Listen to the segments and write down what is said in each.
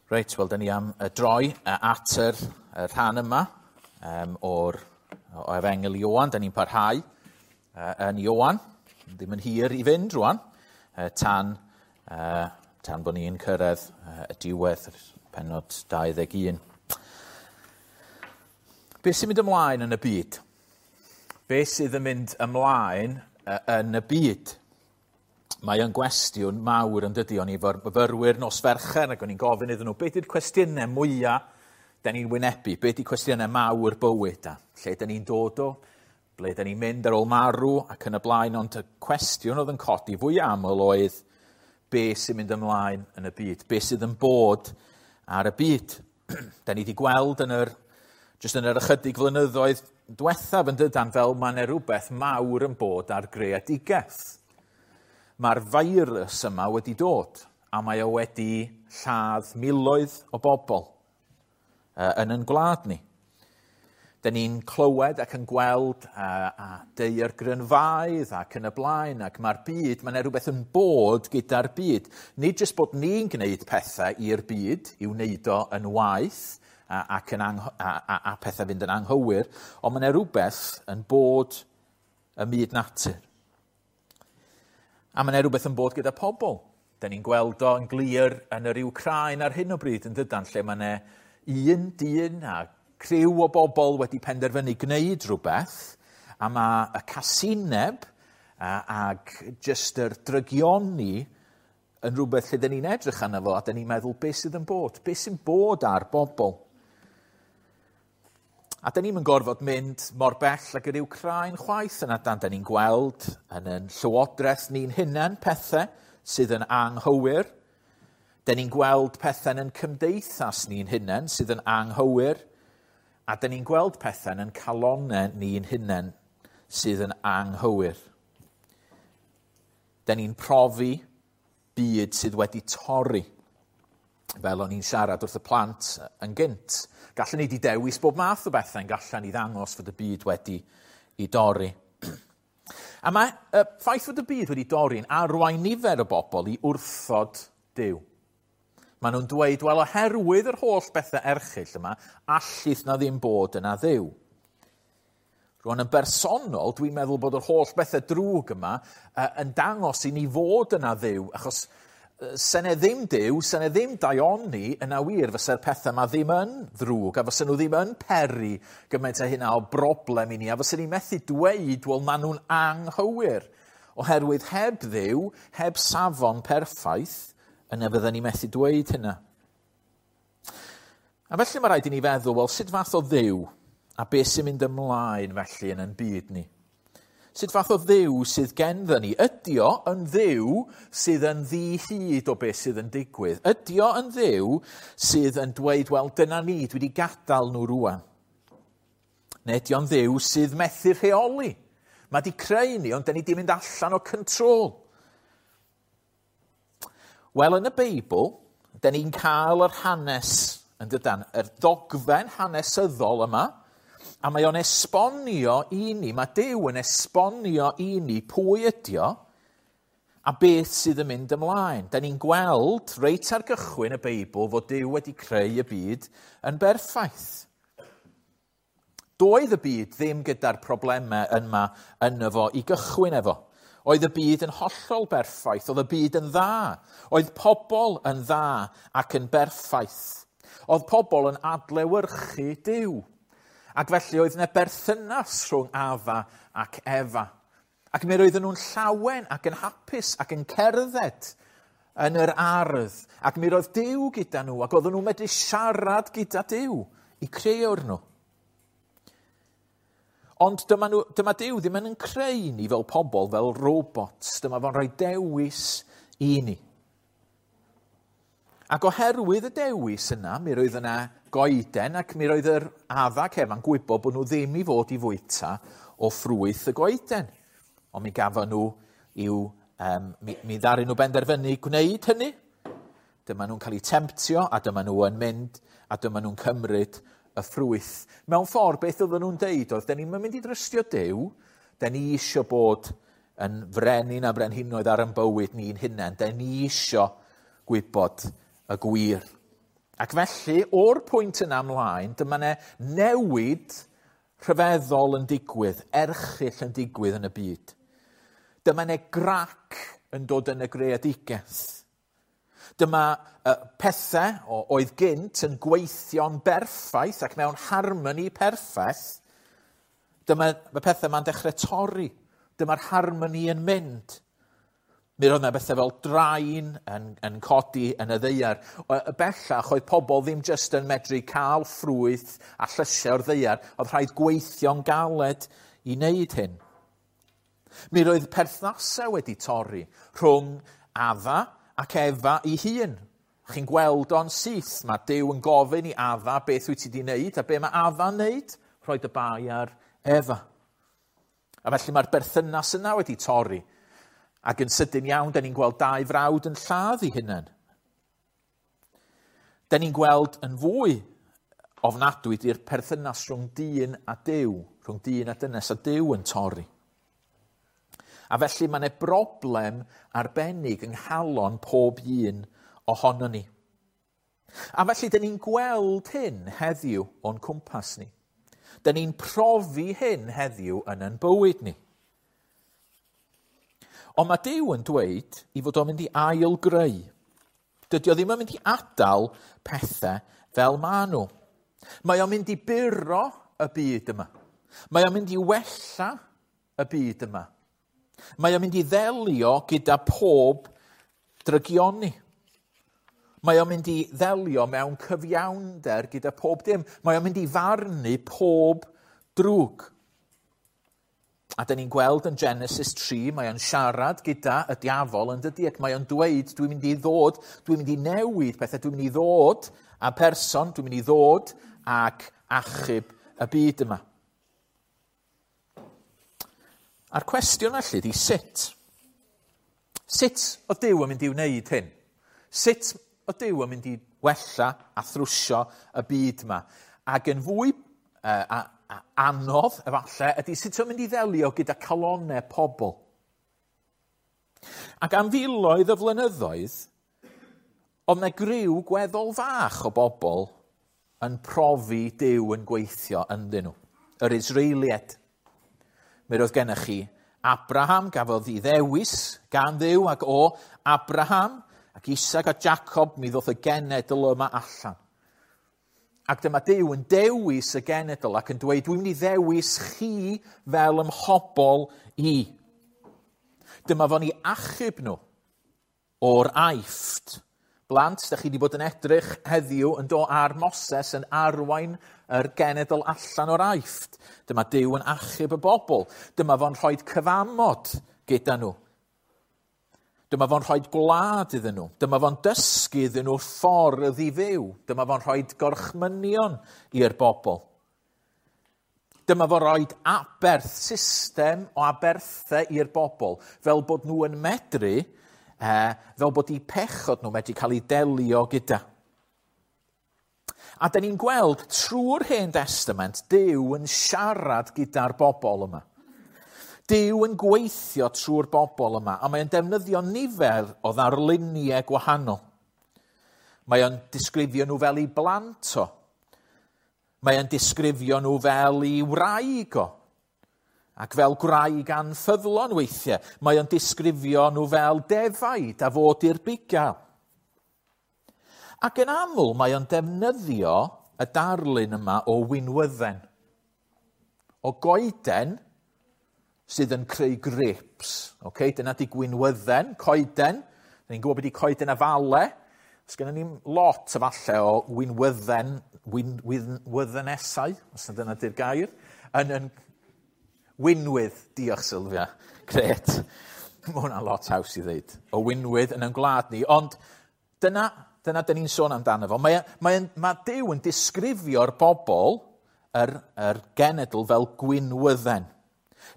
Reit, wel, da ni am droi at yr rhan yma o'r o Efengyl Ioan. Da ni'n parhau yn Ioan. Ddim yn hir i fynd rwan, tan bod ni'n cyrraedd y diwedd, pennod 21. Be sy'n mynd ymlaen yn y byd? Be sydd yn mynd ymlaen yn y byd? Mae o'n gwestiwn mawr yn dydy. O'n i efo'r myfyrwyr nos Fercher ac o'n i'n gofyn iddyn nhw, beth yw'r cwestiynau mwyaf da ni'n wynebu? Beth ydy'r cwestiynau mawr bywyd? A lle da ni'n dod o? Ble da ni'n mynd ar ôl marw ac yn y blaen? Ond y cwestiwn oedd yn codi fwy aml oedd be sy'n mynd ymlaen yn y byd? Be sydd yn bod ar y byd? Da ni wedi gweld yn yr, jyst yn yr ychydig flynyddoedd diwethaf yn dydan fel mae yna rhywbeth mawr yn bod ar greadigaeth. Mae'r feirws yma wedi dod a mae o wedi lladd miloedd o bobl yn ein gwlad ni. Da ni'n clywed ac yn gweld a daeargrynfaoedd ac yn y blaen, ac mae'r byd, mae yna rhywbeth yn bod gyda'r byd. Nid jyst bod ni'n gwneud pethau i'r byd, i'w wneud o yn waeth ac yn a pethau fynd yn anghywir, ond mae yna rhywbeth yn bod ym myd natur. A mae yna rhywbeth yn bod gyda pobl. Da ni'n gweld o yn glir yn yr Wcráin ar hyn o bryd yn dydan, lle mae yna un dyn a criw o bobl wedi penderfynu gwneud rhywbeth, a mae y casineb ag jyst yr drygioni yn rhywbeth lle da ni'n edrych arno fo, a da ni'n meddwl beth sydd yn bod, beth sy'n bod ar bobl. A da ni'm yn gorfod mynd mor bell ag yr Wcráin chwaith yn adan. Da ni'n gweld yn ein llywodraeth ni'n hunain pethau sydd yn anghywir. Da ni'n gweld pethau yn ein cymdeithas ni'n hunain sydd yn anghywir. A da ni'n gweld pethau yn ein calonnau ni'n hunain sydd yn anghywir. Da ni'n profi byd sydd wedi torri. Fel o'n i'n siarad wrth y plant yn gynt. Gallen ni 'di dewis bob math o bethau, yn gallen ni ddangos fod y byd wedi i dorri. A mae y ffaith fod y byd wedi dorri'n arwain nifer o bobl i wrthod Duw. Maen nhw'n dweud, wel, oherwydd yr holl bethau erchyll yma, allith na ddim bod yna Dduw. Rwan yn bersonol, dwi'n meddwl bod yr holl bethau drwg yma yn dangos i ni fod yna Dduw, achos se 'ne ddim Duw, se 'ne ddim daioni yna wir, fysa'r pethau yma ddim yn ddrwg, a fysa nhw ddim yn peri gymaint â hynna o broblem i ni, a fysa ni methu dweud, wel, maen nhw'n anghywir, oherwydd heb Dduw, heb safon perffaith, yna fydden ni methu dweud hynna. A felly mae rhaid i ni feddwl, wel, sut fath o Dduw, a beth sy'n mynd ymlaen felly yn ein byd ni? Sut fath o Dduw sydd genddo ni? Ydy o yn Dduw sydd yn ddi-hid o beth sydd yn digwydd? Ydy o yn Dduw sydd yn dweud, wel, dyna ni, dwi wedi gadael nhw rwan? Neu ydy o'n Dduw sydd methu rheoli? Mae di creu ni, ond da ni di mynd allan o control. Wel, yn y Beibl, da ni'n cael yr hanes, yn dydan, yr dogfen hanesyddol yma, a mae o'n esbonio i ni, mae Duw yn esbonio i ni pwy ydi o a beth sydd yn mynd ymlaen. Da ni'n gweld reit ar gychwyn y Beibl fod Duw wedi creu y byd yn berffaith. Doedd y byd ddim gyda'r problemau yma yno fo i gychwyn efo. Oedd y byd yn hollol berffaith, oedd y byd yn dda. Oedd pobl yn dda ac yn berffaith. Oedd pobl yn adlewyrchu Duw. Ac felly oedd yna berthynas rhwng Adda ac Efa. Ac mi roedden nhw'n llawen ac yn hapus ac yn cerdded yn yr ardd. Ac mi roedd Duw gyda nhw ac oedden nhw'n medru siarad gyda Duw i creuwr nhw. Ond dyma Duw ddim yn creu ni fel pobl, fel robots. Dyma fo'n rhoi dewis i ni. Ac oherwydd y dewis yna, mi roedd yna goeden ac mi roedd yr Adda ac Efa'n gwybod bod nhw ddim i fod i fwyta o ffrwyth y goeden. Ond mi gafon nhw i'w, mi ddaru nhw benderfynu gwneud hynny. Dyma nhw'n cael eu temtio a dyma nhw yn mynd a dyma nhw'n cymryd y ffrwyth. Mewn ffordd, beth oedden nhw'n deud oedd, da ni'n mynd i drystio Duw, da ni isio bod yn frenin a brenhinoedd ar ein bywyd ni'n hunain, da ni isio gwybod y gwir. Ac felly, o'r pwynt yna ymlaen, dyma ne newid rhyfeddol yn digwydd, erchyll yn digwydd yn y byd. Dyma ne grac yn dod yn y greadigaeth. Dyma pethau oedd gynt yn gweithio'n berffaith ac mewn harmoni perffaith. Dyma y pethau ma'n dechrau torri. Dyma'r harmoni yn mynd. Mi roedd yna bethau fel drain yn codi yn y ddaear. Y bellach oedd pobl ddim jyst yn medru cael ffrwyth a llysiau o'r ddaear. Oedd rhaid gweithio'n galed i wneud hyn. Mi roedd perthnasau wedi torri rhwng Adda ac Efa ei hun. Chi'n gweld o'n syth, mae Duw yn gofyn i Adda beth wyt ti wedi wneud, a be mae Adda'n wneud? Rhoi y bai ar Efa. A felly mae'r berthynas yna wedi torri. Ac yn sydyn iawn, da ni'n gweld dau frawd yn lladd eu hunain. Da ni'n gweld yn fwy ofnadwy di'r perthynas rhwng dyn a Duw, rhwng dyn a dynes a Duw yn torri. A felly mae yna broblem arbennig yng nghalon pob un ohono ni. A felly, da ni'n gweld hyn heddiw o'n cwmpas ni. Da ni'n profi hyn heddiw yn ein bywyd ni. Ond mae Duw yn dweud i fod o'n mynd i ail-greu. Dydy o ddim yn mynd i adael pethau fel maen nhw. Mae o'n mynd i buro y byd yma. Mae o'n mynd i wella y byd yma. Mae o'n mynd i ddelio gyda pob drygioni. Mae o'n mynd i ddelio mewn cyfiawnder gyda pob dim. Mae o'n mynd i farnu pob drwg. A da ni'n gweld yn Genesis 3, mae o'n siarad gyda y diafol yn dydy, ac mae o'n dweud, dwi'n mynd i ddod, dwi'n mynd i newid pethau, dwi'n mynd i ddod a person, dwi'n mynd i ddod ac achub y byd yma. A'r cwestiwn felly ydy sut? Sut oedd Duw yn mynd i wneud hyn? Sut oedd Duw yn mynd i wella a thrwsio y byd yma? Ac yn fwy anodd, efallai, ydy sut o'n mynd i ddelio gyda calonnau pobl. Ac am filoedd o flynyddoedd, oedd yna griw gweddol fach o bobl yn profi Duw yn gweithio ynddyn nhw. Yr Israeliaid. Mi roedd gennych chi Abraham, gafodd ei ddewis gan Dduw, ac o Abraham ac Isaac a Jacob, mi ddoth y genedl yma allan. Ac dyma Duw yn dewis y genedl ac yn dweud, dwi'n mynd i ddewis chi fel ymhobol i. Dyma fo'n i achub nhw o'r Aifft. Blant, da chi wedi bod yn edrych heddiw yn do ar Moses yn arwain yr genedl allan o'r Aifft. Dyma Duw yn achub y bobl. Dyma fo'n rhoi cyfamod gyda nhw. Dyma fo'n rhoi gwlad iddyn nhw. Dyma fo'n dysgu iddyn nhw'r ffordd i fyw. Dyma fo'n rhoi gorchmynion i'r bobl. Dyma fo'n rhoi aberth, system o aberthau i'r bobl, fel bod nhw yn medru, fel bod eu pechod nhw medru cael eu delio gyda. A da ni'n gweld trwy'r Hen Testament, Duw yn siarad gyda'r bobl yma. Duw yn gweithio trwy'r bobl yma, a mae'n defnyddio nifer o ddarluniau gwahanol. Mae o'n disgrifio nhw fel ei blant o. Mae o'n disgrifio nhw fel ei wraig o. Ac fel gwraig anffyddlon weithiau. Mae o'n disgrifio nhw fel defaid a fod i'r bugail. Ac yn aml mae o'n defnyddio y darlun yma o winwydden. O goeden sydd yn creu grapes. Okay? Dyna di gwinwydden, coeden. Da ni'n gwybod beth di coeden afale. Os gennym ni lot efallai o winwydden, winwyddenesau, os na dyna di'r gair, yn winwydd, diolch Sylvia, gret. Mae hwnna'n lot haws i ddeud. O winwydd yn ein gwlad ni, ond dyna dyn ni'n sôn amdano fo. Mae Duw yn disgrifio'r bobl, yr genedl, fel gwinwydden.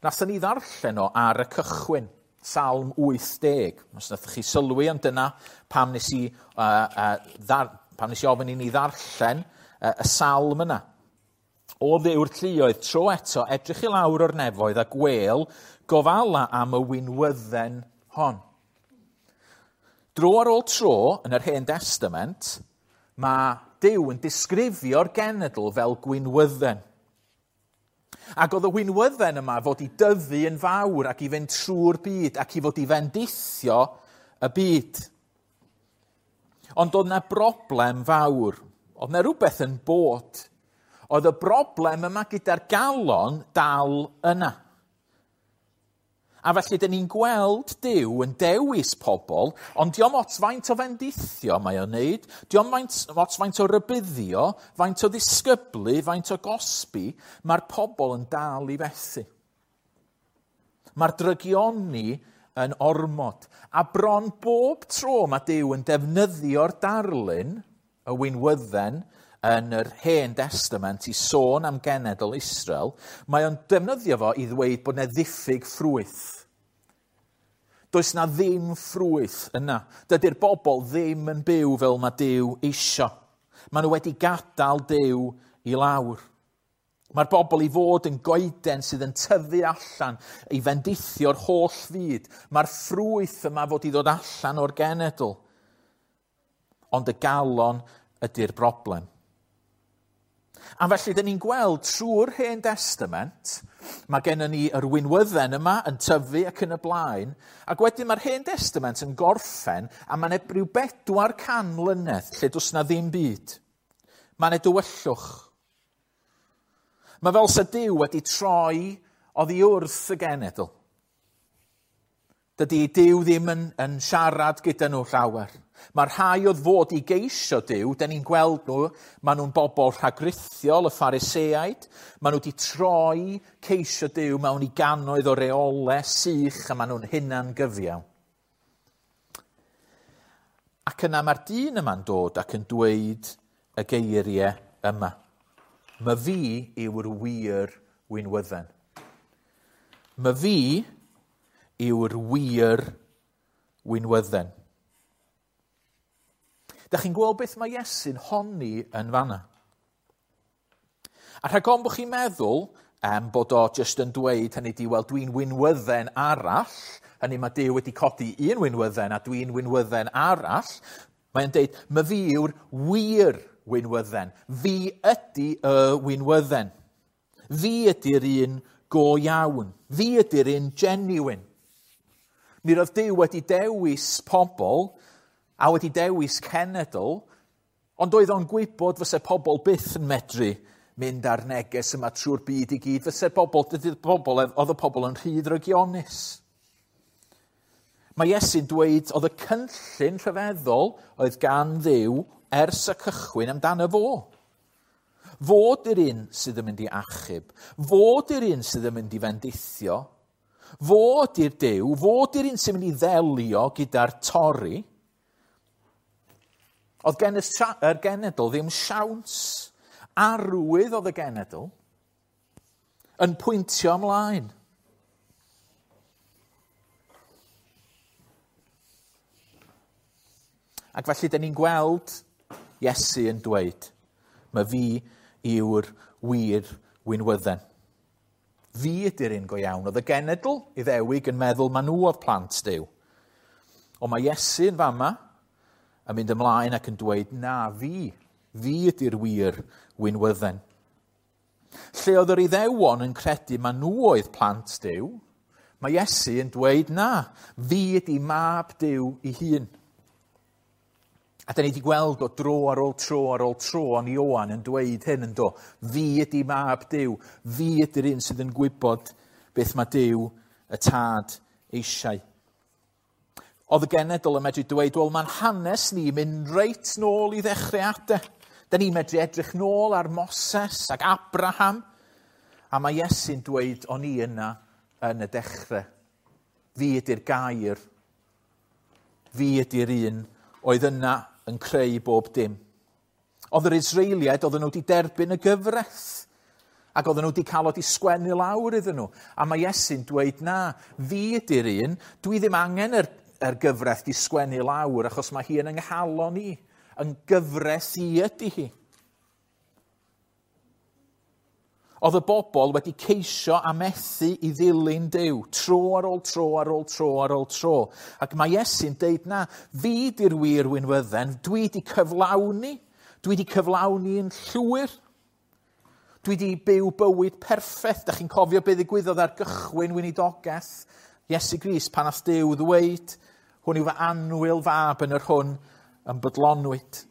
Nathon ni ddarllen o ar y cychwyn, Salm 80. Os nath chi sylwi, ond dyna pam nes i ofyn i ni ddarllen y salm yna. O Dduw'r lluoedd, tro eto, edrych i lawr o'r nefoedd a gwel gofala am y winwydden hon. Dro ar ôl tro, yn yr Hen Testament, mae Duw yn disgrifio'r genedl fel gwinwydden. Ac oedd y winwydden yma fod i dyfu yn fawr ac i fynd trwy'r byd ac i fod i fendithio y byd. Ond oedd 'na broblem fawr. Oedd 'na rhywbeth yn bod. Oedd y broblem yma gyda'r galon dal yna. A felly, dyn ni'n gweld Duw yn dewis pobl, ond dio'm ots faint o fendithio mae o'n neud, dio'm ots faint o rybuddio, faint o ddisgyblu, faint o gosbi, mae'r pobl yn dal i fethu. Mae'r drygioni yn ormod. A bron bob tro mae Duw yn defnyddio'r darlun, y winwydden, yn yr Hen Testament i sôn am genedl Israel, mae o'n defnyddio fo i ddweud bod yna ddiffyg ffrwyth. Does na ddim ffrwyth yna. Dydy'r bobl ddim yn byw fel mae Duw isio. Maen nhw wedi gadael Duw i lawr. Mae'r bobl i fod yn goeden sydd yn tyfu allan i fendithio'r holl fyd. Mae'r ffrwyth yma fod i ddod allan o'r genedl. Ond y galon ydy'r broblem. A felly, dyn ni'n gweld trwy'r Hen Testament, mae gennym ni yr winwydden yma yn tyfu ac yn y blaen, ac wedyn mae'r Hen Testament yn gorffen, a mae'n rhyw 400 mlynedd lle does na ddim byd. Mae'n dywyllwch. Mae fel sa Duw wedi troi oddi wrth y genedl. Dydy Duw ddim yn siarad gyda nhw llawer. Mae'r rhai oedd fod i geisio Duw, dyn ni'n gweld nhw, maen nhw'n bobl rhagrithiol, y Phariseaid. Maen nhw wedi troi ceisio Duw mewn i gannoedd o reolau sych a maen nhw'n hunan gyfiawn. Ac yna mae'r dyn yma'n dod ac yn dweud y geiriau yma. My fi yw'r wir winwydden. My fi yw'r wir winwydden. Da chi'n gweld beth mae Iesu'n honni yn fanna. A rhag ofn bod chi'n meddwl bod o jyst yn dweud hynny di, wel, dwi'n winwydden arall, hynny mae Duw wedi codi un winwydden a dwi'n winwydden arall, mae'n deud, my fi yw'r wir winwydden. Fi ydy y winwydden. Fi ydy'r un go iawn. Fi ydy'r un genuine. Mi roedd Duw wedi dewis pobl a wedi dewis cenedl, ond oedd o'n gwybod fysa pobl byth yn medru mynd ar neges yma trwy'r byd i gyd. Fysa pobl, dydy'r pobl, oedd y pobl yn rhy ddrygionus. Mae Iesu'n dweud oedd y cynllun rhyfeddol oedd gan Dduw ers y cychwyn amdano fo. Fod yr un sydd yn mynd i achub, fod yr un sydd yn mynd i fendithio, fod i'r Duw, fod i'r un sy'n mynd i ddelio gyda'r torri. Oedd gen yr genedl ddim siawns. Arwydd oedd y genedl yn pwyntio ymlaen. Ac felly, dyn ni'n gweld Iesu yn dweud, mae fi yw'r wir winwydden. Fi ydy'r un go iawn. Oedd y genedl Iddewig yn meddwl ma nhw oedd plant Duw. Ond mae Iesu yn fama yn mynd ymlaen ac yn dweud, na, fi ydy'r wir winwydden. Lle oedd yr Iddewon yn credu ma nhw oedd plant Duw, mae Iesu yn dweud, na, fi ydy mab Duw ei hun. A da ni wedi gweld o dro ar ôl tro ar ôl tro o'n Ioan yn dweud hyn yn do. Fi ydy mab Duw. Fi ydy'r un sydd yn gwybod beth mae Duw y Tad eisiau. Oedd y genedl yn medru dweud, wel, mae'n hanes ni mynd reit nôl i ddechreuadau. Da ni'n medru edrych nôl ar Moses ac Abraham. A mae Iesu'n dweud, o'n i yna yn y dechrau. Fi ydy'r gair. Fi ydy'r un oedd yna yn creu bob dim. Oedd yr Israeliaid, oedden nhw wedi derbyn y gyfraith. Ac oedden nhw wedi cael o wedi sgwennu lawr iddyn nhw. A mae Iesu'n dweud, na, fi ydy'r un, dwi ddim angen yr gyfraith di sgwennu lawr, achos mae hi yn yng nghalon i. Yn gyfraith i ydy hi. Oedd y bobl wedi ceisio a methu i ddilyn Duw, tro ar ôl tro ar ôl tro ar ôl tro. Ac mae Iesu'n deud, na, fi di'r wir winwydden, dwi di cyflawni, Dwi wedi cyflawni yn llwyr. Dwi wedi byw bywyd perffaith. Da chi'n cofio beth ddigwyddodd ar gychwyn weinidogaeth Iesu Grist pan nath Duw ddweud, hwn yw fy annwyl fab yn yr hwn yn bodlonwyd.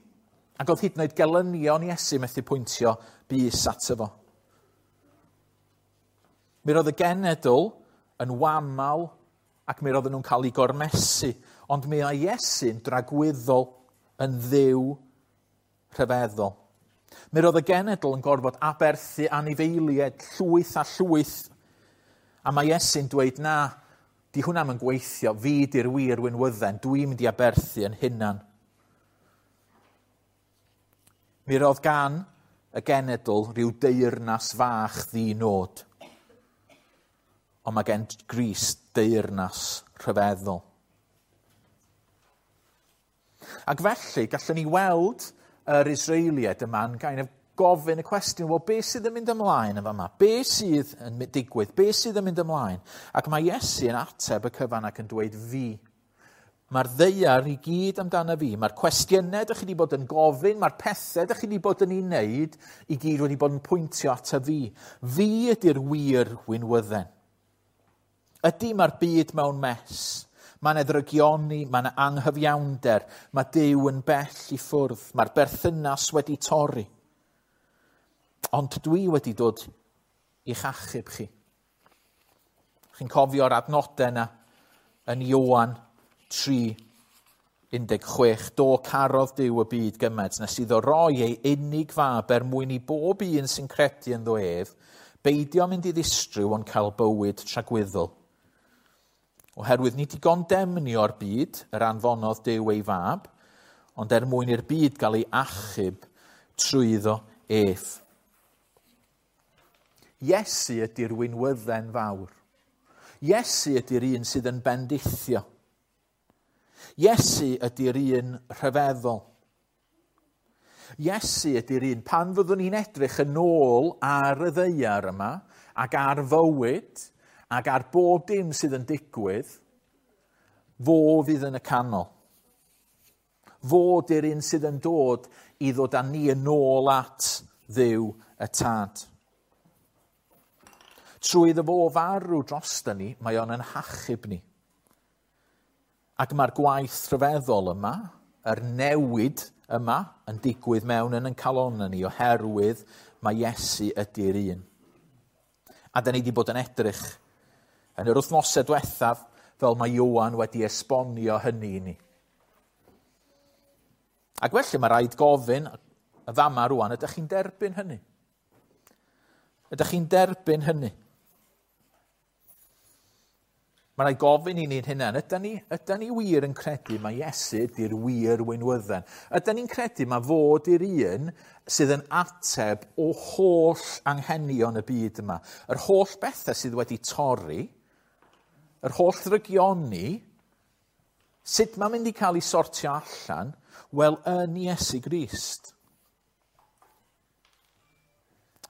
Ac oedd hyd yn oed gelynion Iesu methu pwyntio bys ato fo. Mi roedd y genedl yn wamal ac mi roedden nhw'n cael eu gormesu, ond mi oedd Iesu'n dragwyddol yn ddiw rhyfeddol. Mi roedd y genedl yn gorfod aberthu anifeiliaid llwyth a llwyth, a mae Iesu'n dweud na, di hwnna'm yn gweithio, fi di'r wir winwydden, dwi'n mynd i aberthu yn hunan. Mi roedd gan y genedl rhyw deyrnas fach ddi-nod. Ond mae gen Grist deyrnas rhyfeddol. Ac felly, gallwn ni weld yr Israeliaid yma'n kind of gofyn y cwestiwn, wel, be sydd yn mynd ymlaen yn fama? Be sydd yn digwydd? Be sydd yn mynd ymlaen? Ac mae Iesu yn ateb y cyfan ac yn dweud fi. Mae'r ddaear i gyd amdano fi. Mae'r cwestiynau ydych chi wedi bod yn gofyn, mae'r pethau ydych chi wedi bod yn ei wneud, i gyd wedi bod yn pwyntio ato fi. Fi ydy'r wir winwydden. Ydy mae'r byd mewn mess. Mae yna ddrygioni, mae yna anghyfiawnder, mae Duw yn bell i ffwrdd, mae'r berthynas wedi torri. Ond dwi wedi dod i'ch achub chi. Chi'n cofio'r adnodau yna yn Ioan 3:16. Do carodd Duw y byd gymaint nes iddo roi ei unig fab er mwyn i bob un sy'n credu ynddo ef, beidio mynd i ddistryw ond cael bywyd tragwyddol. Oherwydd nid i gondemnio'r byd yr anfonodd Duw ei fab, ond er mwyn i'r byd gael ei achub trwyddo ef. Iesu ydy'r winwydden fawr. Iesu ydy'r un sydd yn bendithio. Iesu ydy'r un rhyfeddol. Iesu ydy'r un, pan fyddwn ni'n edrych yn ôl ar y ddaear yma, ac ar fywyd, ac ar bob dim sydd yn digwydd, fo fydd yn y canol. Fo ydy'r un sydd yn dod i ddod â ni yn ôl at Dduw y Tad. Trwy iddo fo farw drosta ni, mae o'n yn hachub ni. Ac mae'r gwaith rhyfeddol yma, yr newid yma, yn digwydd mewn yn ein calonnau ni, oherwydd mae Iesu ydy'r un. A da ni wedi bod yn edrych yn yr wythnosau diwethaf fel mae Ioan wedi esbonio hynny i ni. Ac felly mae rhaid gofyn y fama rwan, ydych chi'n derbyn hynny? Ydych chi'n derbyn hynny? Mae rhaid gofyn i ni'n hunain, ydan ni wir yn credu mae Iesu ydy'r wir winwydden? Ydan ni'n credu mae fod i'r un sydd yn ateb o holl anghenion y byd yma? Yr holl bethau sydd wedi torri, yr holl ddrygioni, sut mae'n mynd i cael ei sortio allan? Wel, yn Iesu Grist.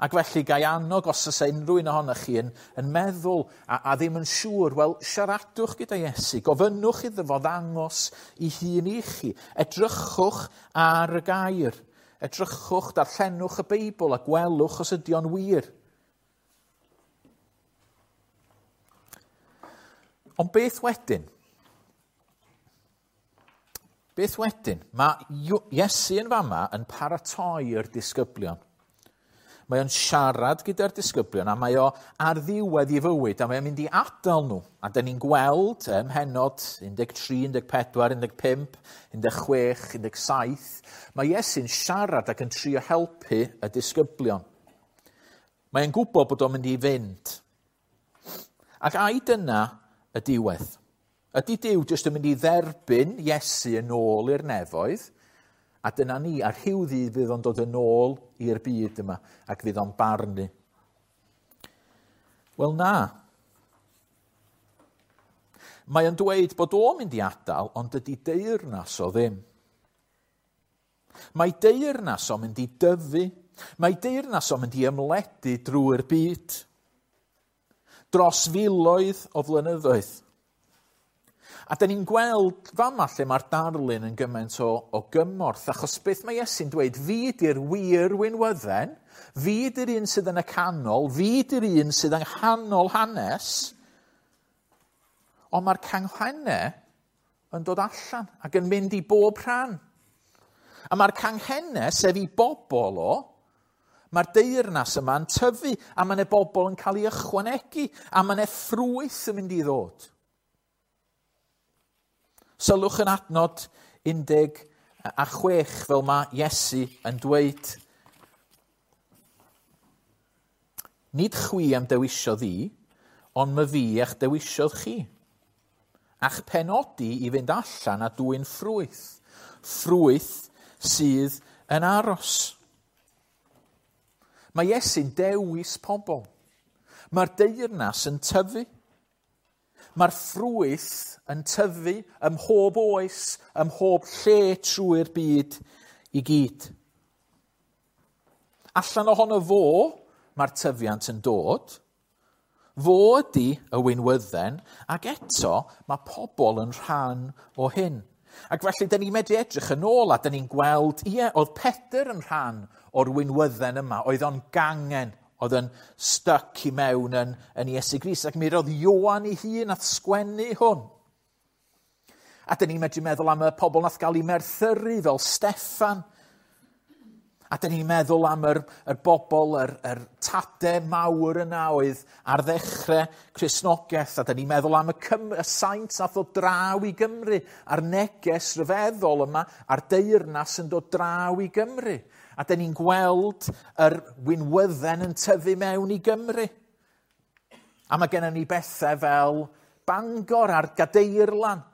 Ac felly, gai annog os oes unrhyw un ohonoch chi yn meddwl a ddim yn siŵr, wel, siaradwch gyda Iesu, gofynnwch iddo fo ddangos ei hun i chi. Edrychwch ar y gair, edrychwch, darllenwch y Beibl a gwelwch os ydy o'n wir. Ond beth wedyn? Beth wedyn? Mae Iesu yn fama yn paratoi'r disgyblion. Mae o'n siarad gyda'r disgyblion a mae o ar ddiwedd ei fywyd a mae o'n mynd i adael nhw. A dyn ni'n gweld ym mhennod 13, 14, 15, 16, 17, mae Iesu'n siarad ac yn trio helpu y disgyblion. Mae o'n gwybod bod o'n mynd i fynd. Ac ai dyna y diwedd? Ydy Duw jyst yn mynd i dderbyn Iesu yn ôl i'r nefoedd? A dyna ni, a rhyw ddydd fydd o'n dod yn ôl i'r byd yma, ac fydd o'n barnu. Wel na. Mae o'n dweud bod o'n mynd i adael, ond dydy deyrnas o ddim. Mae deyrnas o'n mynd i dyfu. Mae deyrnas o'n mynd i ymledu drwy'r byd. Dros filoedd o flynyddoedd. A da ni'n gweld fama lle mae'r darlun yn gymaint o gymorth, achos beth mae Iesu'n dweud, fi di'r wir winwydden, fi di'r un sydd yn y canol, fi di'r un sydd yng nghanol hanes, ond mae'r canghennau yn dod allan ac yn mynd i bob rhan. A mae'r canghennau, sef i bobl o, mae'r deyrnas yma'n tyfu, a mae yna bobl yn cael ei ychwanegu, a mae yna ffrwyth yn mynd i ddod. Sylwch yn adnod 16 fel mae Iesu yn dweud, Nid chwi am dewisiodd i, ond my fi eich dewisiodd chi. A'ch penodi i fynd allan a dwyn ffrwyth. Ffrwyth sydd yn aros. Mae Iesu'n dewis pobl. Mae'r deyrnas yn tyfu. Mae'r ffrwyth yn tyfu ym mhob oes, ym mhob lle trwy'r byd i gyd. Allan ohono fo, mae'r tyfiant yn dod. Fo ydy y winwydden, ac eto mae pobl yn rhan o hyn. Ac felly, da ni'n medru edrych yn ôl a da ni'n gweld, ie, oedd Pedr yn rhan o'r winwydden yma, oedd o'n gangen, oedd yn stuck i mewn yn Iesu Grist, ac mi roedd Ioan ei hun at sgwennu hwn. A da ni'n medru meddwl am y pobl nath gael eu merthyru fel Steffan. A da ni'n meddwl am yr bobl, yr tade mawr yna oedd ar ddechrau Cristnogaeth. A da ni'n meddwl am y saint nath ddod draw i Gymru, a'r neges ryfeddol yma, a'r deyrnas yn dod draw i Gymru. A da ni'n gweld yr winwydden yn tyfu mewn i Gymru. A mae gennym ni bethau fel Bangor a'r Gadeirlan,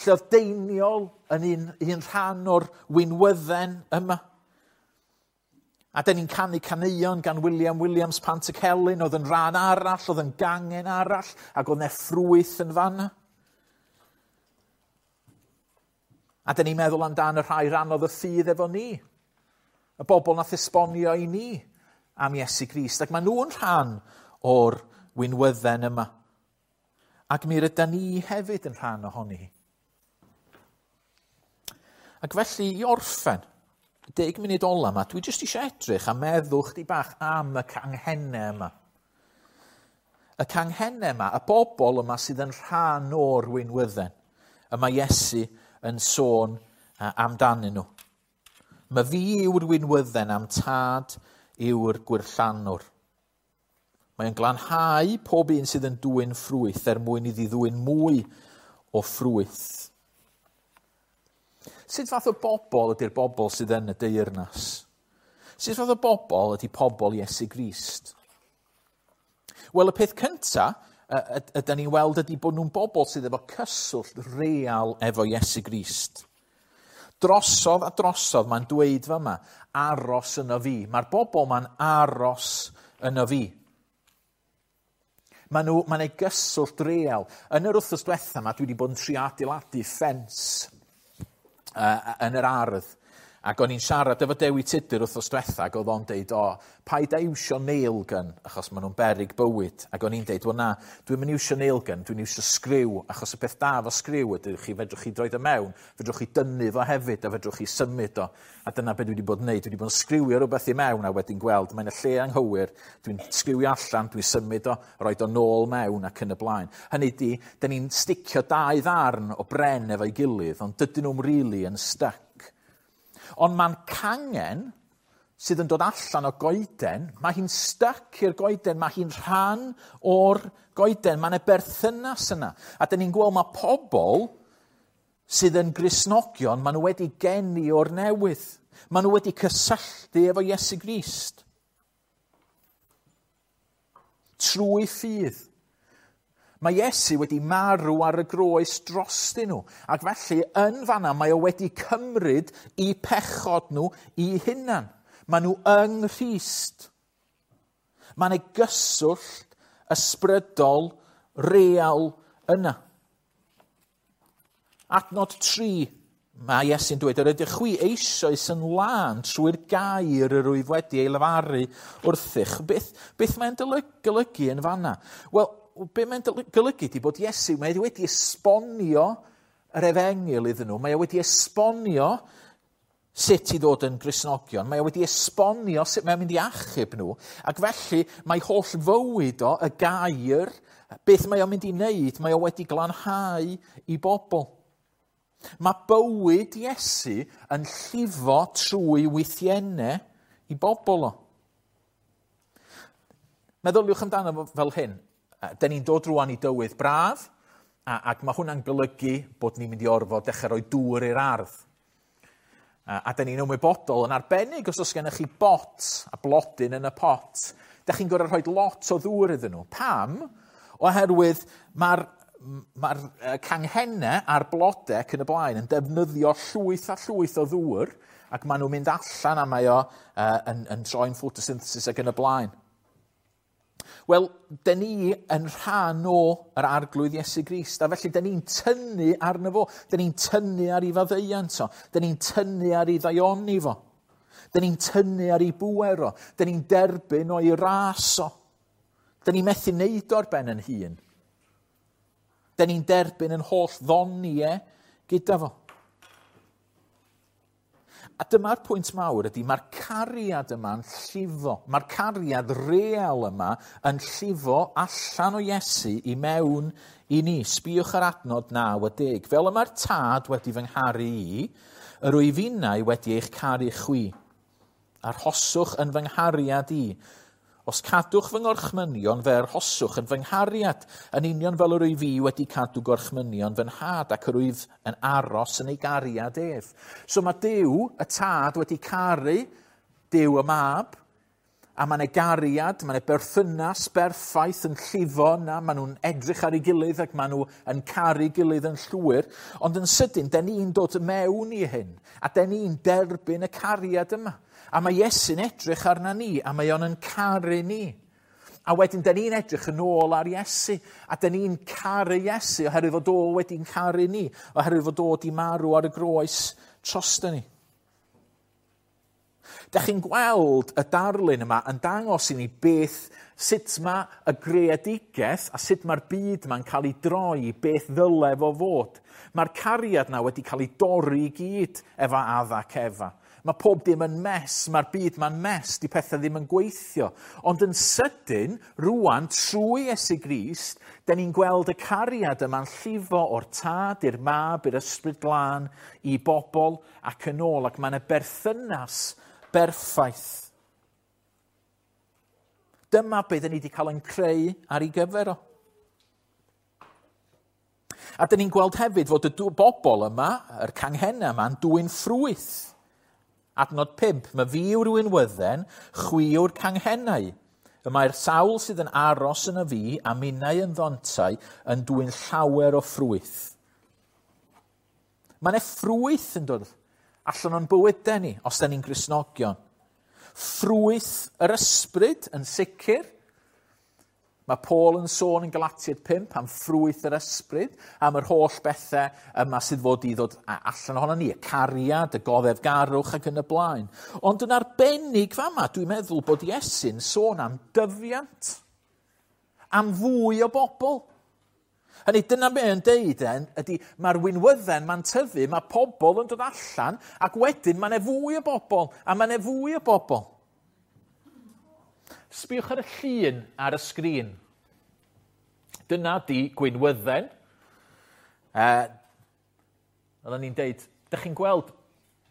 lle oedd Deiniol yn un rhan o'r winwydden yma. A da ni'n canu caneuon gan William Williams Pantycelyn, oedd yn rhan arall, oedd yn gangen arall, ac oedd 'na ffrwyth yn fanna. A da ni'n meddwl amdan y rhai rannodd y ffydd efo ni, y bobl nath esbonio i ni am Iesu Grist, ac maen nhw'n rhan o'r winwydden yma. Ac mi rydan ni hefyd yn rhan ohoni hi. Ac felly, i orffen, 10 munud ola yma, dwi jyst eisiau edrych a meddwl chdi bach am y canghennau yma. Y canghennau yma, y bobl yma sydd yn rhan o'r winwydden, y mae Iesu yn sôn amdanyn nhw. Mae fi yw'r winwydden am tad yw'r gwirllanwr. Mae'n glanhau pob un sydd yn dwyn ffrwyth er mwyn iddi ddwyn mwy o ffrwyth. Sut fath o bobl ydy'r bobl sydd yn y deyrnas? Sut fath o bobl ydy pobl Iesu Grist? Wel, y peth cyntaf ydy ni'n weld ydy bod nhw'n bobl sydd efo cyswllt real efo Iesu Grist. Drosodd a drosodd mae'n dweud fama, aros yno fi. Mae'r bobl ma'n aros yno fi. Mae'n ei gyswllt real. Yn yr wythnos diwetha yma, dwi wedi bod yn trio adeiladu ffens yn yr ardd. Ac o'n i'n siarad efo Dewi Tudur wythnos diwetha, ac oedd o'n deud, o, paid â iwsio nail gun, achos maen nhw'n beryg bywyd. Ac o'n i'n deud, wel na, dwi'm yn iwsio nail gun, dwi'n iwsio sgriw, achos y peth da efo sgriw ydy, chi fedrwch chi droed o mewn, fedrwch chi dynnu fo hefyd, a fedrwch chi symud o. A dyna beth dwi wedi bod yn neud, dwi wedi bod yn sgriwio rhywbeth i mewn, a wedyn gweld, mae'n y lle anghywir, dwi'n sgriwio allan, dwi'n symud o, roed o nôl mewn ac yn y blaen. Hynny di, da ni'n sticio dau ddarn o bren efo'i gilydd, ond dydyn nhw'n rili yn stuck. Ond mae'n cangen sydd yn dod allan o goeden, mae hi'n stuck i'r goeden, mae hi'n rhan o'r goeden, mae'n e berthynas yna. A dyn ni'n gweld mae pobl sydd yn Gristnogion, maen nhw wedi geni o'r newydd. Maen nhw wedi cysylltu efo Iesu Grist. Trwy ffydd. Mae Iesu wedi marw ar y groes drostyn nhw. Ac felly, yn fanna, mae o wedi cymryd i pechod nhw i hunan. Maen nhw yng Nghrist. Mae yna gyswllt ysbrydol real yna. Adnod 3, mae Iesu'n dweud, yr ydych chwi eisoes yn lân trwy'r gair yr wyf wedi ei lefaru wrthych. Beth mae'n golygu yn fanna? Wel, be mae'n golygu di bod Iesu, mae wedi esbonio yr efengyl iddyn nhw, mae wedi esbonio sut i ddod yn Gristnogion, mae wedi esbonio sut mae'n mynd i achub nhw, ac felly mae holl fywyd o, y gair, beth mae o'n mynd i wneud, mae o wedi glanhau i bobl. Mae bywyd Iesu yn llifo trwy wythiennau i bobl o. Meddyliwch amdano fel hyn. Dyn ni'n dod rwan i dywydd braf, ac mae hwnna'n golygu bod ni'n mynd i orfod dechrau rhoi dŵr i'r ardd. A dyn ni'n ymwybodol yn arbennig os oes gennych chi bot a blodyn yn y pot, dych chi'n gorfod rhoi lot o ddŵr iddyn nhw. Pam? Oherwydd mae'r mae canghennau a'r blodau ac yn y blaen yn defnyddio llwyth a llwyth o ddŵr, ac maen nhw'n mynd allan a mae o yn troi'n photosynthesis ac yn y blaen. Wel, dyn ni yn rhan o yr Arglwydd Iesu Grist, a felly dyn ni'n tynnu arno fo, dyn ni'n tynnu ar ei faddeuant o, dyn ni'n tynnu ar ei ddaioni fo, dyn ni'n tynnu ar ei bŵer o, dyn ni'n derbyn o'i ras o. Dyn ni'n methu neud o'r ben yn hun. Dyn ni'n derbyn yn holl ddoniau gyda fo. A dyma'r pwynt mawr ydy, mae'r cariad yma'n llifo. Mae'r cariad real yma yn llifo allan o Iesu i mewn i ni. Sbïwch ar adnod 9 a 10. Fel y mae'r Tad wedi fy ngharu i, yr wyf innau wedi eich caru chwi. Arhoswch yn fy nghariad i. Os cadwch fy ngorchmynion, fe arhoswch yn fy nghariad, yn union fel yr wyf fi wedi cadw gorchmynion fy nhad ac yr wyf yn aros yn ei gariad ef. So mae Duw, y Tad, wedi caru Duw y Mab, a mae yna gariad, mae yna berthynas berffaith yn llifo yna, maen nhw'n edrych ar ei gilydd ac maen nhw yn caru gilydd yn llwyr, ond yn sydyn, den ni'n dod mewn i hyn, a den ni'n derbyn y cariad yma. A mae Iesu'n edrych arna ni, a mae o'n yn caru ni. A wedyn, da ni'n edrych yn ôl ar Iesu, a da ni'n caru Iesu oherwydd fod o wedi'n caru ni, oherwydd fod o wedi marw ar y groes drosto ni. Da chi'n gweld y darlun yma yn dangos i ni beth, sut mae y greadigaeth a sut mae'r byd yma'n cael ei droi, beth ddyle fo fod. Mae'r cariad yna wedi cael ei dorri i gyd efo Adda ac Efa. Mae pob dim yn mess, mae'r byd ma'n mess, di pethau ddim yn gweithio. Ond yn sydyn, rwan, trwy Iesu Grist, da ni'n gweld y cariad yma'n llifo o'r Tad i'r Mab, i'r Ysbryd Glân, i bobl ac yn ôl, ac mae'n y berthynas berffaith. Dyma beth ni wedi cael yn creu ar ei gyfer o. A da ni'n gweld hefyd fod y bobl yma, yr canghennau yma, yn dwyn ffrwyth. Adnod 5, mae fi yw'r winwydden, chwi yw'r canghennau. Y mae'r sawl sydd yn aros yn y fi a minnau yn ddontau yn dwyn llawer o ffrwyth. Mae yna ffrwyth yn dod allan o'n bywydau ni, os da ni'n Gristnogion. Ffrwyth yr ysbryd yn sicr. Mae Paul yn sôn yn Galatiaid 5 am ffrwyth yr ysbryd, am yr holl bethau yma sydd fod i ddod allan ohono ni, y cariad, y goddefgarwch ac yn y blaen. Ond yn arbennig fama, dwi'n meddwl bod Iesu'n sôn am dyfiant, am fwy o bobl. Hynny, dyna be yn deud ydy mae'r winwydden ma'n tyfu, mae pobl yn dod allan, ac wedyn mae 'na fwy o bobl, a mae 'na fwy o bobl. Sbïwch ar y llun ar y sgrin. Dyna di gwinwydden. Oedden ni'n deud, dych chi'n gweld,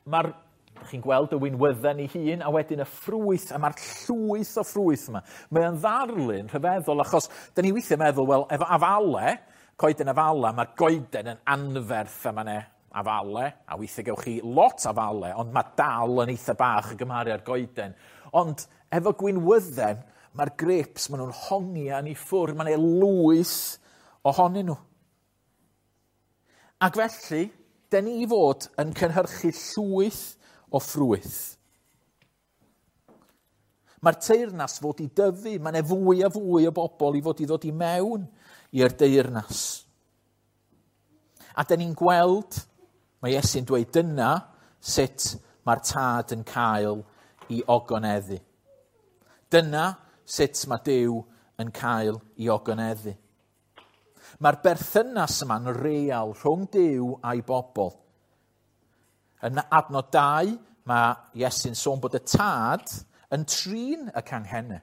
dych chi'n gweld y winwydden ei hun, a wedyn y ffrwyth, a mae'r llwyth o ffrwyth yma. Mae o'n ddarlun rhyfeddol, achos dyn ni weithiau meddwl, wel, efo afale, coeden afala, mae'r goeden yn anferth a mae 'na afale, a weithiau gewch chi lot afale, ond mae dal yn eitha bach o gymharu â'r goeden. Ond efo gwinwydden, mae'r grapes, maen nhw'n hongian i ffwrdd, mae'n ei lwyth ohonyn nhw. Ac felly, dyn ni fod yn cynhyrchu llwyth o ffrwyth. Mae'r teyrnas fod i dyfu, mae'n e fwy a fwy o bobl i fod i ddod i mewn i'r deyrnas. A dyn ni'n gweld, mae Iesu'n dweud dyna sut mae'r Tad yn cael i ogoneddu. Dyna sut mae Duw yn cael i ogoneddu. Mae'r berthynas yma'n real rhwng Duw a'i bobl. Yn adnod 2, mae Iesu'n sôn bod y Tad yn trin y canghennau.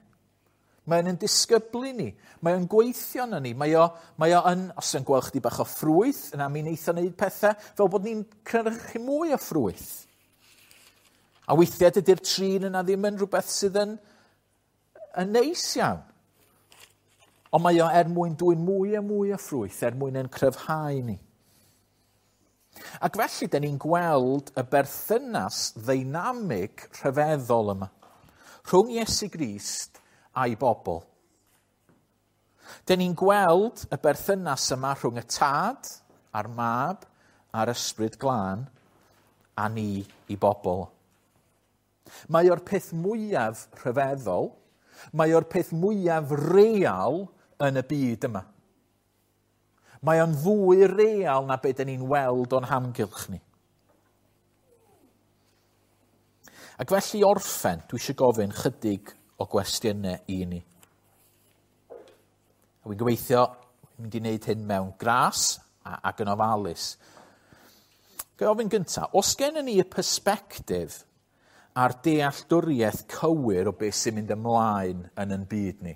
Mae'n yn disgyblu ni. Mae o'n gweithio na ni. Mae o, mae o yn, os yn gweld chdi bach o ffrwyth, yna mi wneith o wneud pethau fel bod ni'n cynhyrchu mwy o ffrwyth. A weithiau dydy'r trin yna ddim yn rhywbeth sydd yn neis iawn. Ond mae o er mwyn dwyn mwy a mwy o ffrwyth, er mwyn yn cryfhau ni. Ac felly, da ni'n gweld y berthynas ddeinamig rhyfeddol yma rhwng Iesu Grist a'i bobl. Da ni'n gweld y berthynas yma rhwng y Tad a'r Mab a'r Ysbryd Glân a ni i bobl. Mae o'r peth mwyaf rhyfeddol, mae o'r peth mwyaf real yn y byd yma. Mae o'n fwy real na beth 'dan ni'n weld o'n hamgylch ni. Ac felly orffen, dwi eisiau gofyn chydig o gwestiynau i ni. A wy'n gobeithio mynd i wneud hyn mewn gras ac yn ofalus. Ga i ofyn gyntaf, os gennym ni y persbectif a'r dealltwriaeth cywir o beth sy'n mynd ymlaen yn yn byd ni?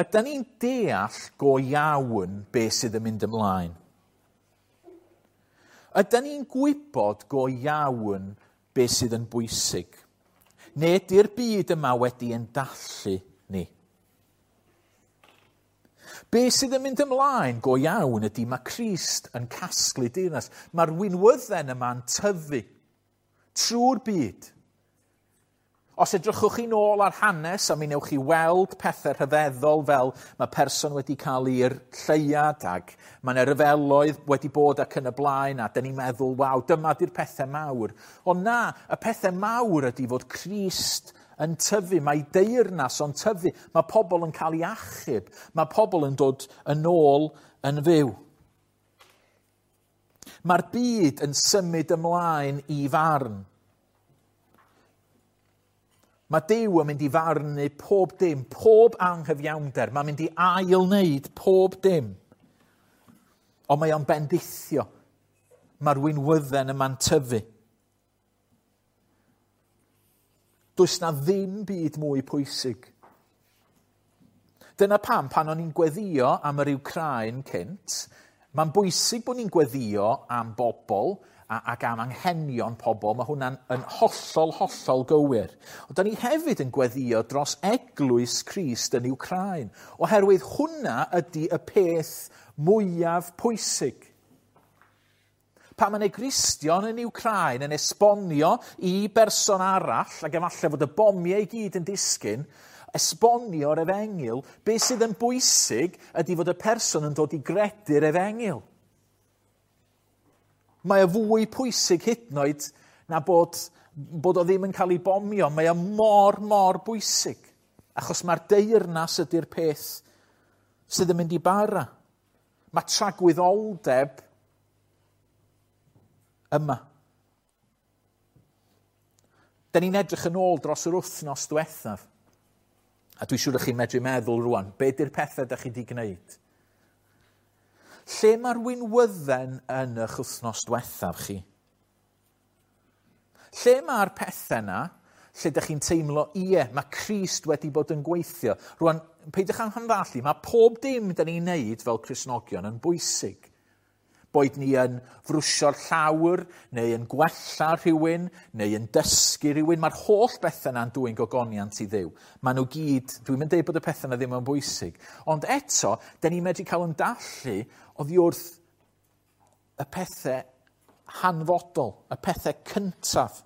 Ydy ni'n deall go iawn beth sydd yn mynd ymlaen? Ydy ni'n gwybod go iawn beth sydd yn bwysig? Neu ydy'r byd yma wedi yn dallu ni? Be sydd yn mynd ymlaen go iawn ydy mae Crist yn casglu deyrnas. Mae'r winwydden yma'n tyfu trwy'r byd. Os edrychwch chi nôl ar hanes, a mi newch chi weld pethau rhyfeddol fel mae person wedi cael i'r lleuad ac mae yna ryfeloedd wedi bod ac yn y blaen, a dyn ni'n meddwl, waw, dyma di'r pethau mawr. Ond na, y pethau mawr ydy fod Crist yn tyfu, mae deyrnas o'n tyfu, mae pobl yn cael ei achub, mae pobl yn dod yn ôl yn fyw. Mae'r byd yn symud ymlaen i farn. Mae Duw yn mynd i farnu pob dim, pob anghyfiawnder. Mae'n mynd i ail-wneud pob dim. Ond mae o'n bendithio. Mae'r winwydden yma'n tyfu. Does na ddim byd mwy pwysig. Dyna pam, pan o'n i'n gweddio am yr Wcráin cynt, mae'n bwysig bod ni'n gweddio am bobl ac am anghenion pobl. Mae hwnna'n yn hollol, hollol gywir. Ond da ni hefyd yn gweddio dros eglwys Crist yn Wcráin, oherwydd hwnna ydy y peth mwyaf pwysig. Pan mae Gristion yn Wcráin yn esbonio i berson arall, ac efallai fod y bomiau i gyd yn disgyn, esbonio'r efengyl, beth sydd yn bwysig ydy fod y person yn dod i gredu'r efengyl. Mae o fwy pwysig hyd yn oed na bod o ddim yn cael ei bomio. Mae o mor, mor bwysig. Achos mae'r deyrnas ydy'r peth sydd yn mynd i bara. Mae tragwyddoldeb yma. Da ni'n edrych yn ôl dros yr wythnos diwethaf. A dwi'n siŵr chi'n medru meddwl rwan, be di'r pethau da chi wedi gwneud? Lle mae'r winwydden yn eich wythnos diwethaf chi? Lle mae'r pethau yna, lle ydych chi'n teimlo, ie, mae Crist wedi bod yn gweithio. Rwan, peidiwch â'n hamddallu, mae pob dim da ni'n neud fel Cristnogion yn bwysig. Boed ni yn frwsio'r llawr, neu yn gwella rhywun, neu yn dysgu rhywun. Mae'r holl bethau yna'n dwyn gogoniant i Dduw. Maen nhw gyd, dwi'n mynd deud bod y pethau yna ddim yn bwysig. Ond eto, da ni'n medru cael yn dallu oddi wrth y pethau hanfodol, y pethau cyntaf.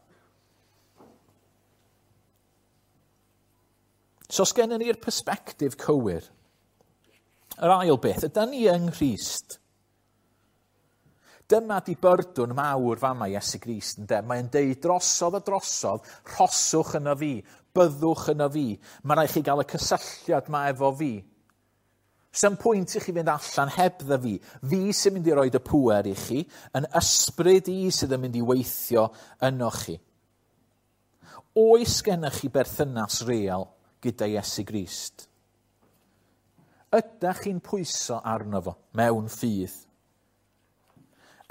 So os gennym ni'r persbectif cywir, yr ail beth, ydy ni yng Nghrist? Dyma di byrdwn mawr fama Iesu Grist, ynde? Mae'n deud drosodd a drosodd, rhoswch yno fi, byddwch yno fi. Mae rhaid chi gael y cysylltiad ma efo fi. Sa'm pwynt i chi fynd allan hebdda fi. Fi sy'n mynd i roed y pŵer i chi, yn ysbryd i sydd yn mynd i weithio yno chi. Oes gennych chi berthynas real gyda Iesu Grist? Ydych chi'n pwyso arno fo mewn ffydd?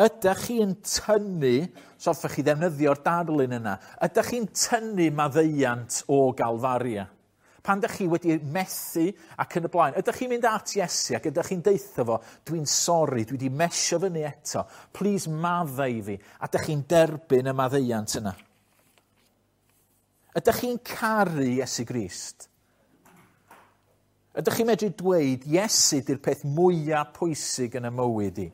Ydych chi'n tynnu, so hoffech chi ddefnyddio'r darlun yna, ydych chi'n tynnu maddeuant o Galfaria? Pan ydych chi wedi methu ac yn y blaen, ydych chi'n mynd at Iesu ac ydych chi'n deutha fo, dwi'n sori, dwi wedi mesio fyny eto, please maddau i fi, a ydych chi'n derbyn y maddeuant yna? Ydych chi'n caru Iesu Grist? Ydych chi'n medru dweud, Iesu di'r peth mwyaf pwysig yn y mywyd i?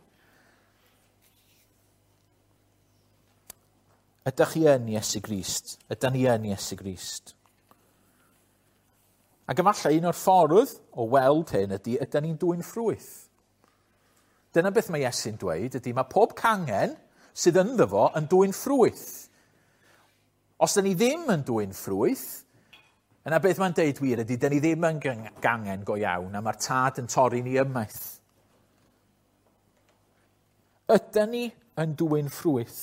Ydych chi yn Iesu Grist? Ydych ni yn Iesu Grist? Ac efallai un o'r ffordd o weld hyn ydy, ydyn ni'n dwyn ffrwyth. Dyna beth mae Iesu'n dweud ydy, mae pob cangen sydd ynddo fo yn dwyn ffrwyth. Os dyn ni ddim yn dwyn ffrwyth, yna beth mae'n deud wir ydy, dyn ni ddim yn gangen go iawn, a mae'r tad yn torri ni ymaith. Ydyn ni yn dwyn ffrwyth?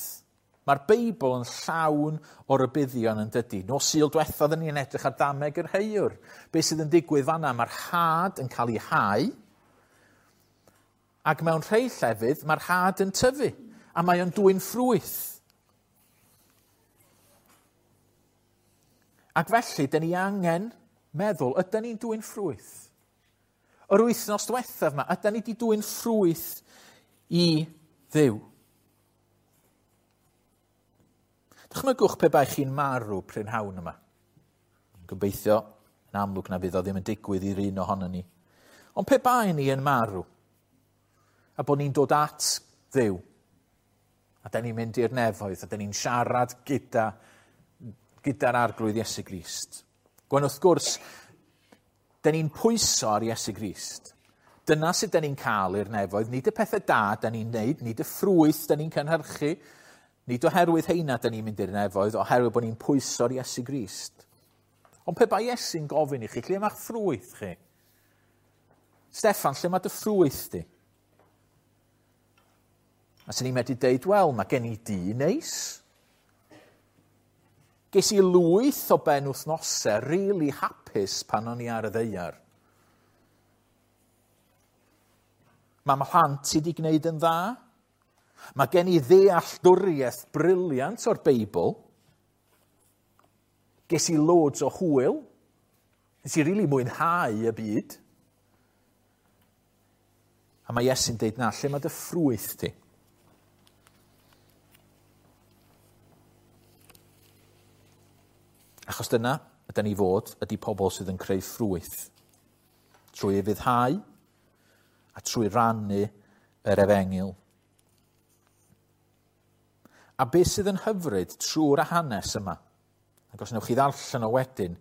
Mae'r Beibl yn llawn o rybuddion yn dydy. Nos Sul diwethaf oedden ni'n edrych ar dameg yr heiwr. Be sydd yn digwydd fanna? Mae'r had yn cael ei hau, ac mewn rhai llefydd mae'r had yn tyfu, a mae o'n dwyn ffrwyth. Ac felly, dyn ni angen meddwl, ydyn ni'n dwyn ffrwyth? Yr wythnos diwethaf yma, ydyn ni wedi dwyn ffrwyth i Dduw? Dychmygwch pe bai chi'n marw prynhawn yma. Gobeithio, yn amlwg na fydd o ddim yn digwydd i'r un ohono ni. Ond pe bai ni yn marw, a bod ni'n dod at Dduw, a da ni'n mynd i'r nefoedd, a da ni'n siarad gyda'r Arglwydd Iesu Grist. Gwen wrth gwrs, da ni'n pwyso ar Iesu Grist. Dyna sut da ni'n cael i'r nefoedd, nid y pethau da da ni'n neud, nid y ffrwyth da ni'n cynhyrchu, nid oherwydd heina da ni'n mynd i'r nefoedd, oherwydd bod ni'n pwyso'r Iesu Grist. Ond pe bai Iesu'n gofyn i chi, lle mae'ch ffrwyth chi? Steffan, lle mae dy ffrwyth di? A sy'n ni'n medru deud, wel, mae gen i dŷ neis. Ges i lwyth o ben wythnosau really hapus pan o'n i ar y ddaear. Mae mhlant i wedi gwneud yn dda. Mae gen i ddealltwriaeth briliant o'r Beibl. Ges i loads o hwyl. Nes i rili mwynhau y byd. A mae Iesu'n deud, na, lle mae dy ffrwyth ti? Achos dyna ydy ni fod, ydy pobl sydd yn creu ffrwyth. Trwy ufuddhau a trwy rannu yr efengyl. A beth sydd yn hyfryd trwy'r hanes yma, ac os wnewch chi ddarllen o wedyn,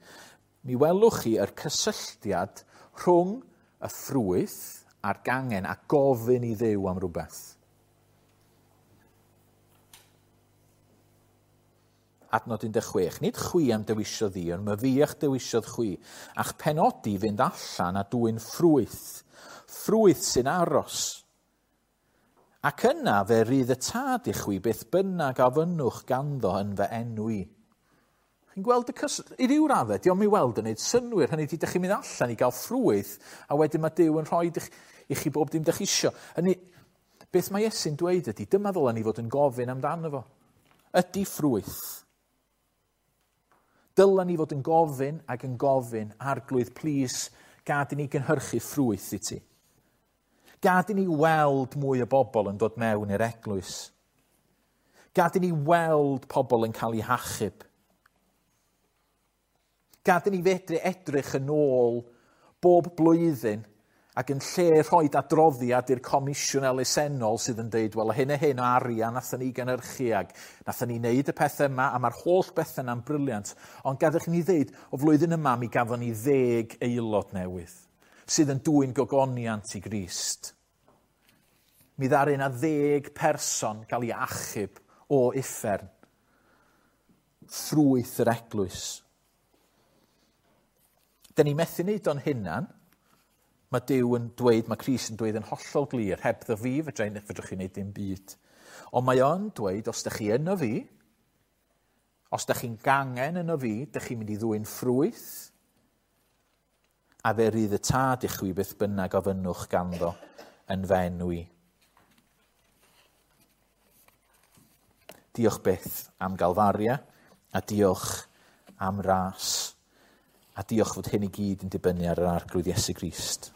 mi welwch chi yr cysylltiad rhwng y ffrwyth a'r gangen a gofyn i Dduw am rhywbeth. Adnod 16. Nid chwi am dewisiodd fi, ond mae fi a'ch dewisiodd chwi, a'ch penodi fynd allan a dwyn ffrwyth, ffrwyth sy'n aros. Ac yna fe rydd y tad i chwi beth bynnag a fynnwch ganddo yn fy enw i. Chi'n gweld y i ryw raddau, dio'm i weld yn neud synnwyr, hynny ydi, dych chi'n mynd allan i gael ffrwyth, a wedyn mae Duw yn rhoi i chi bob dim dych chi isio. Hynny, beth mae Iesu'n dweud ydy, dyma ddylen ni fod yn gofyn amdano fo. Ydy ffrwyth. Dylen ni fod yn gofyn ac yn gofyn, Arglwydd, plîs, gad i ni gynhyrchu ffrwyth i ti. Gad i ni weld mwy o bobl yn dod mewn i'r eglwys. Gad i ni weld pobl yn cael eu hachub. Gad i ni fedru edrych yn ôl bob blwyddyn ac yn lle rhoi adroddiad i'r comisiwn elusennol sydd yn deud, wel, hyn a hyn o arian nathon ni gynhyrchu ac nathon ni wneud y pethau yma a mae'r holl bethau yna'n briliant. Ond gadewch i ni ddeud, o flwyddyn yma mi gafon ni 10 aelod newydd sydd yn dwyn gogoniant i Grist. Mi ddaru yna 10 person gael ei achub o uffern. Ffrwyth yr eglwys. Dyn ni methu wneud o'n hunan. Mae Duw yn dweud, mae Crist yn dweud yn hollol glir, hebddo fi, fedrwch chi wneud dim byd. Ond mae o'n dweud, os ydych chi yno fi, os ydych chi'n gangen yno fi, ydych chi'n mynd i ddwyn ffrwyth, A fe rydd y Tad i chwi beth bynnag ofynnwch ganddo yn fy enw i. Diolch byth am Galfaria, a diolch am ras, a diolch fod hyn i gyd yn dibynnu ar yr Arglwydd Iesu Grist.